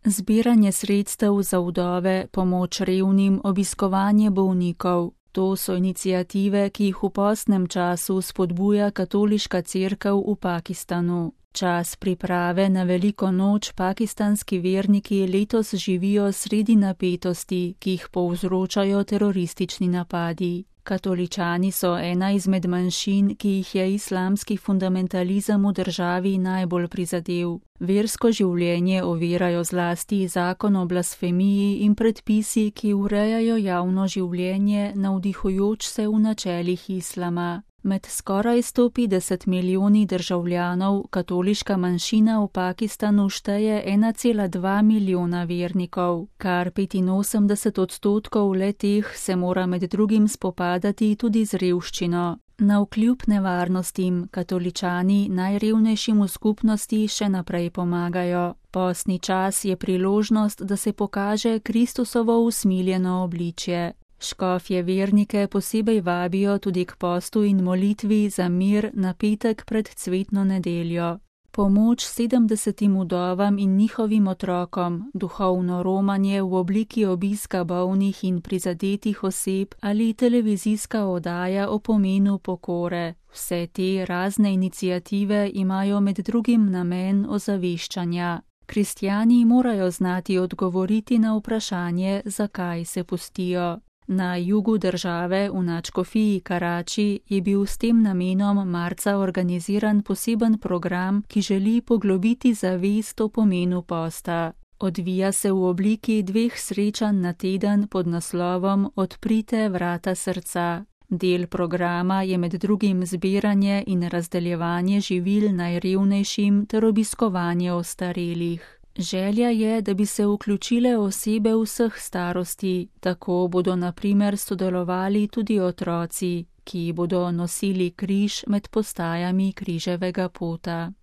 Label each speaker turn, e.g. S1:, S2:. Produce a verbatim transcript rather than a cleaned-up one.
S1: Zbiranje sredstev za vdove, pomoč revnim, obiskovanje bolnikov. To so iniciative, ki jih v postnem času spodbuja katoliška cerkev v Pakistanu. Čas priprave na veliko noč pakistanski verniki letos živijo sredi napetosti, ki jih povzročajo teroristični napadi. Katoličani so ena izmed manjšin, ki jih je islamski fundamentalizem v državi najbolj prizadel. Versko življenje ovirajo zlasti zakon o blasfemiji in predpisi, ki urejajo javno življenje, navdihujoč se v načelih islama. Med skoraj sto petdeset milijoni državljanov katoliška manjšina v Pakistanu šteje ena cela dva milijona vernikov, kar petinosemdeset odstotkov le-teh se mora med drugim spopadati tudi z revščino. Navkljub nevarnostim katoličani najrevnejšim v skupnosti še naprej pomagajo. Postni čas je priložnost, da se pokaže Kristusovo usmiljeno obličje. Škofje vernike posebej vabijo tudi k postu in molitvi za mir na petek pred cvetno nedeljo. Pomoč sedemdesetim vdovam in njihovim otrokom, duhovno romanje v obliki obiska bolnih in prizadetih oseb ali televizijska oddaja o pomenu pokore. Vse te razne iniciative imajo med drugim namen ozaveščanja. Kristjani morajo znati odgovoriti na vprašanje, zakaj se postijo. Na jugu države v nadškofiji Karači je bil s tem namenom marca organiziran poseben program, ki želi poglobiti zavest o pomenu posta. Odvija se v obliki dveh srečanj na teden pod naslovom Odprite vrata srca. Del programa je med drugim zbiranje in razdeljevanje živil najrevnejšim ter obiskovanje ostarelih. Želja je, da bi se vključile osebe vseh starosti, tako bodo na primer sodelovali tudi otroci, ki bodo nosili križ med postajami križevega pota.